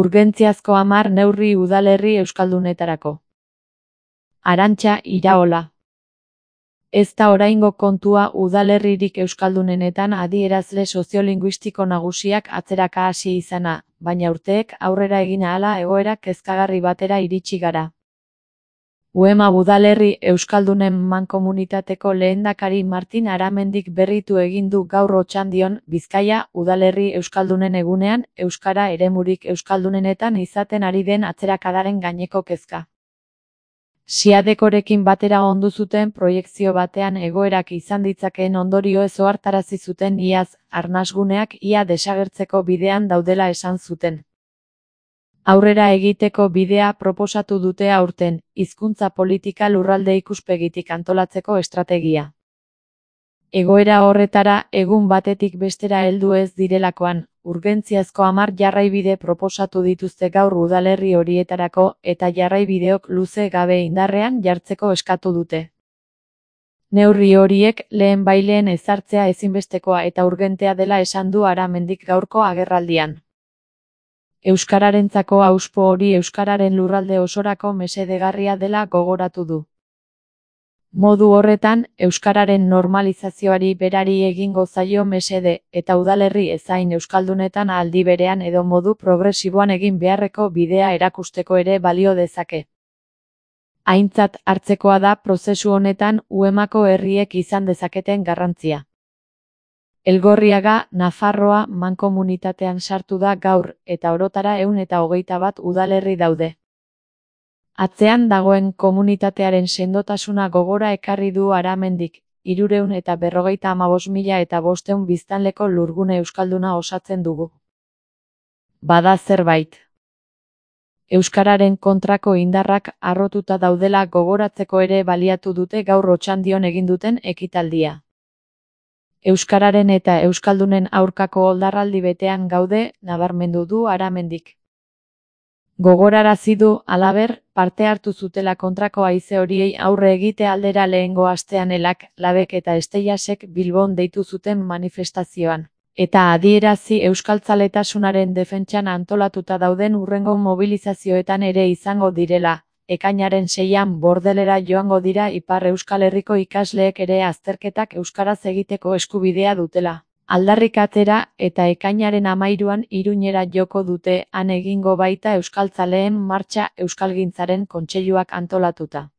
Urgentziazko 10 neurri udalerri euskaldunetarako. Arantxa Iraola. Ez da oraingo kontua udalerririk euskaldunenetan adierazle soziolinguistiko nagusiak atzeraka hasi izana, baina urteek aurrera egin ahala egoera kezkagarri batera iritsi gara. UEMA udalerri euskaldunen mankomunitateko lehendakari Martin Aramendik berritu egin du gaur Otxandion, Bizkaia, udalerri euskaldunen egunean, euskara eremurik euskaldunenetan izaten ari den atzerakadaren gaineko kezka. Siadekorekin batera ondu zuten proiekzio batean egoerak izan ditzakeen ondorioez ohartarazi zuten iaz, arnasguneak ia desagertzeko bidean daudela esan zuten. Aurrera egiteko bidea proposatu dute aurten, hizkuntza politika lurralde ikuspegitik antolatzeko estrategia. Egoera horretara egun batetik bestera heldu ez direlakoan, urgentziazko 10 jarraibide proposatu dituzte gaur udalerri horietarako eta jarraibideok luze gabe indarrean jartzeko eskatu dute. Neurri horiek lehenbailehen ezartzea ezinbestekoa eta urgentea dela esan du Aramendik gaurko agerraldian. Euskararentzako hauspo hori euskararen lurralde osorako mesedegarria dela gogoratu du. Modu horretan, euskararen normalizazioari berari egingo zaio mesede, eta udalerri ezain euskaldunetan aldi berean edo modu progresiboan egin beharreko bidea erakusteko ere balio dezake. Aintzat hartzekoa da prozesu honetan UEMako herriek izan dezaketen garrantzia. Elgorriaga, Nafarroa, mankomunitatean sartu da gaur, eta orotara 121 udalerri daude. Atzean dagoen komunitatearen sendotasuna gogora ekarri du Aramendik, 355.500 biztanleko lurgune euskalduna osatzen dugu. Bada zerbait. Euskararen kontrako indarrak harrotuta daudela gogoratzeko ere baliatu dute gaur Otxandion egin duten ekitaldia. Euskararen eta euskaldunen aurkako oldarraldi betean gaude, nabarmendu du Aramendik. Gogorarazi du, halaber, parte hartu zutela kontrako haize horiei aurre egite aldera lehengo astean Elak, Labek eta Esteiasek Bilbon deitu zuten manifestazioan, eta adierazi euskaltzaletasunaren defentsan antolatuta dauden hurrengo mobilizazioetan ere izango direla. Ekainaren 6an Bordelera joango dira Ipar Euskal Herriko ikasleek ere azterketak euskaraz egiteko eskubidea dutela. Aldarrikatzera eta ekainaren 13an Iruñera joko dute, han egingo baita euskaltzaleen martxa Euskalgintzaren kontseiluak antolatuta.